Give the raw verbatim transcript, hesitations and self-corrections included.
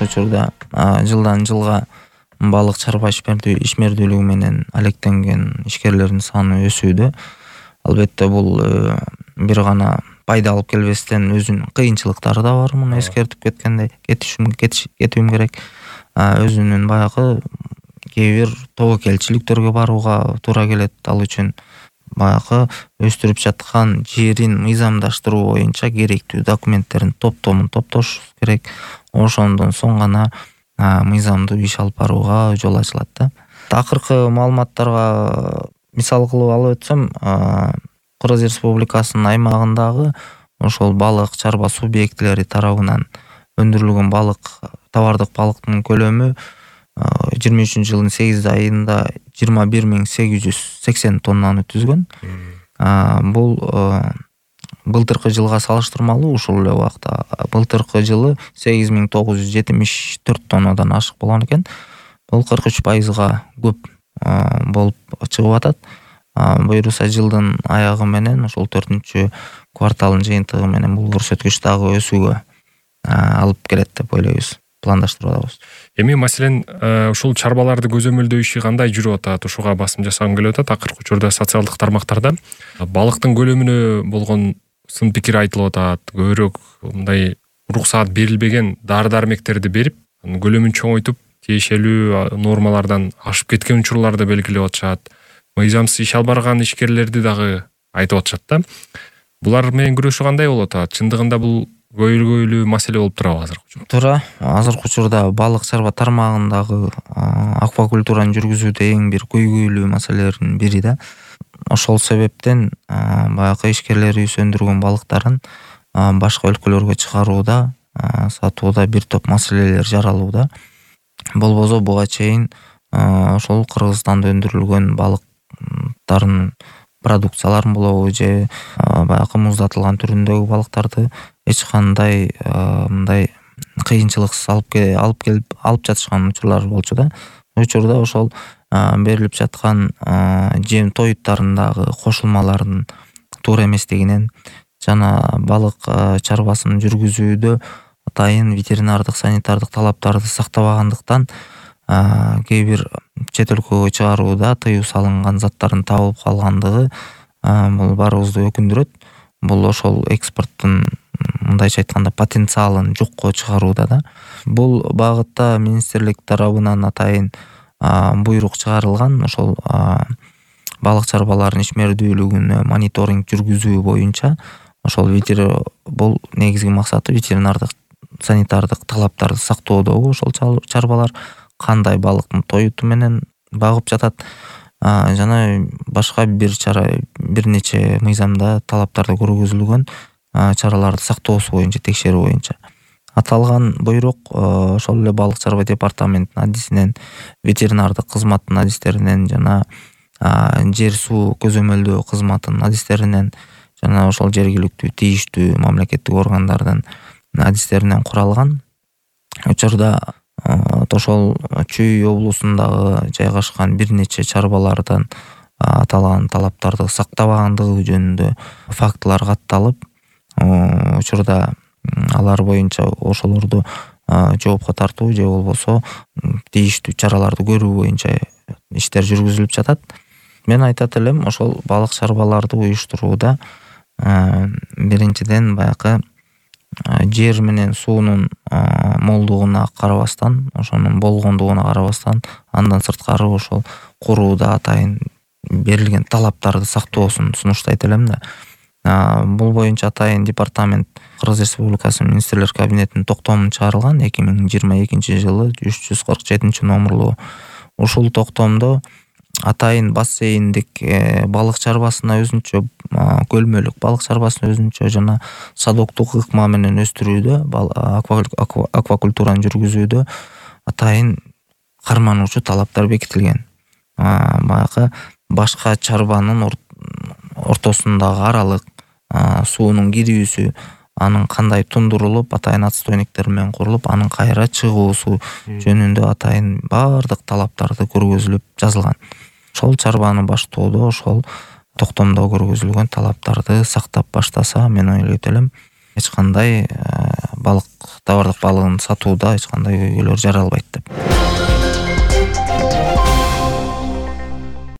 осы учурда жылдан жылга балык чарба ишмердүүлүгү менен алектенген ишкерлердин саны өсүүдө. Албетте бул бир гана пайда алып келбестен өзүнүн кыйынчылыктары да бар. Муну эскертип кеткендей кетишим кетишим керек. Өзүнүн баягы кээ бир тобокелчиликтерге барууга туура келет. Ал үчүн баягы өстүрүп жаткан жерин мыйзамдаштыруу боюнча керектүү документтердин топтомун топтош керек. Ошондон соң гана мыйзамдуу иш алып барууга жол ачылат да. Акыркы маалыматтарга мисал кылып алып өтсөм, Кыргыз Республикасынын аймагындагы ошол балык чарба субъектилери тарабынан өндүрүлгөн балык, товардык балыктын көлөмү жыйырма үчүнчү жылдын сегиз айында жыйырма бир миң сегиз жүз сексен тоннаны түзгөн. Бул былтыркы жылга салыштырмалуу ушул эле убакта былтыркы жылы сегиз миң тогуз жүз жетимиш төрт тоннадан ашык болгон экен. Бул кырк үч пайызга көп болуп чыгып атат. Буюрса жылдын аягы менен ошол төртүнчү кварталдын жыйынтыгы менен бул көрсөткүч дагы өсүүгө алып келет деп ойлойбуз, пландаштырып атабыз. Эми маселен ушул чарбаларды көзөмөлдөө иши кандай жүрүп атат? Ушуга басым жасагым келип атат. Акыркы учурда социалдык тармактарда балыктын көлөмүнө болгон сын пикир айтылып атат. Көбүрөөк мындай уруксаат берилбеген дары-дармектерди берип, көлөмүн чоңойтуп, тиешелүү нормалардан ашып кеткен учурларды белгилеп атышат. Мыйзамсыз иш алып барган ишкерлерди дагы айтып атышат да. Булар менен күрөшүү кандай болуп атат? Чындыгында бул көйгөйлүү маселе болуп турабы азыркы учурда? Туура. Азыркы учурда балык чарба тармагындагы аквакультураны жүргүзүүдө эң бир көйгөйлүү маселелердин бири да. Ошол себептен баягы ишкерлерибиз өндүргөн балыктарын башка өлкөлөргө чыгарууда, сатууда бир топ маселелер жаралууда. Болбосо буга чейин ошол Кыргызстанда өндүрүлгөн балыктардын продукцияларын болобу же баягы муздатылган түрүндөгү балыктарды эч кандай мындай кыйынчылыксыз алып алып келип алып жатышкан учурлар болчу да. Учурда ошол берилип жаткан жем тоюттарындагы кошулмалардын туура эместигинен жана балык чарбасын жүргүзүүдө атайын ветеринардык санитардык талаптарды сактабагандыктан кээ бир чет өлкөгө чыгарууда тыюу салынган заттардын табылып калгандыгы бул баарыбызды өкүндүрөт. Бул ошол экспорттун мындайча айтканда потенциалын жокко чыгарууда да. Бул багытта министрлик тарабынан атайын буйрук чыгарылган. Ошол балык чарбаларынын ишмердүүлүгүнө мониторинг жүргүзүү боюнча ошол бул негизги максаты ветеринардык санитардык талаптарды сактоодогу ошол чарбалар кандай балыктын тоюту менен багып жатат жана башка бир чара бир нече мыйзамда талаптарды көргөзүлгөн чараларды сактоосу боюнча текшерүү боюнча. Аталган буйрук ошол эле балык чарба департаментинин адисинен, ветеринардык кызматтын адистеринен жана жер суу көзөмөлдөө кызматынын адистеринен жана ошол жергиликтүү тийиштүү мамлекеттик органдардын адистеринен куралган. Учурда ошол Чүй облусундагы жайгашкан бир нече чарбалардан аталган талаптарды сактабагандыгы жөнүндө фактылар катталып, учурда алар боюнча ошолорду жоопко тартуу же болбосо тийиштүү чараларды көрүү боюнча иштер жүргүзүлүп жатат. Мен айтат элем, ошол балык чарбаларды уюштурууда биринчиден баягы жер менен суунун молдугуна карабастан, ошонун болгондугуна карабастан, андан сырткары ошол курууда атайын берилген талаптарды сактоосун сунуштайт элем да. Бул боюнча атайын департамент Кыргыз Республикасы министрлер кабинетинин токтомун чыгарылган эки миң жыйырма экинчи жылы үч жүз кырк жетинчи номерлуу. Ушул токтомдо атайын бассейндик балык чарбасына өзүнчө, көлмөлүк балык чарбасына өзүнчө жана садоктук ыкма менен өстүрүүдө, аквакультураны жүргүзүүдө атайын кармануучу талаптар бекитилген. Баягы башка чарбанын ортосундагы аралык, суунун кирүүсү, анын кандай тундурулуп, атайын отстойниктер менен курулуп, анын кайра чыгуусу жөнүндө атайын баардык талаптарды көргөзүлүп жазылган. Ошол чарбаны баштоодо ошол токтомдо көргөзүлгөн талаптарды сактап баштаса, мен ойлойт элем, эч кандай балык табардык балыгын сатууда эч кандай көйгөйлөр жаралбайт деп.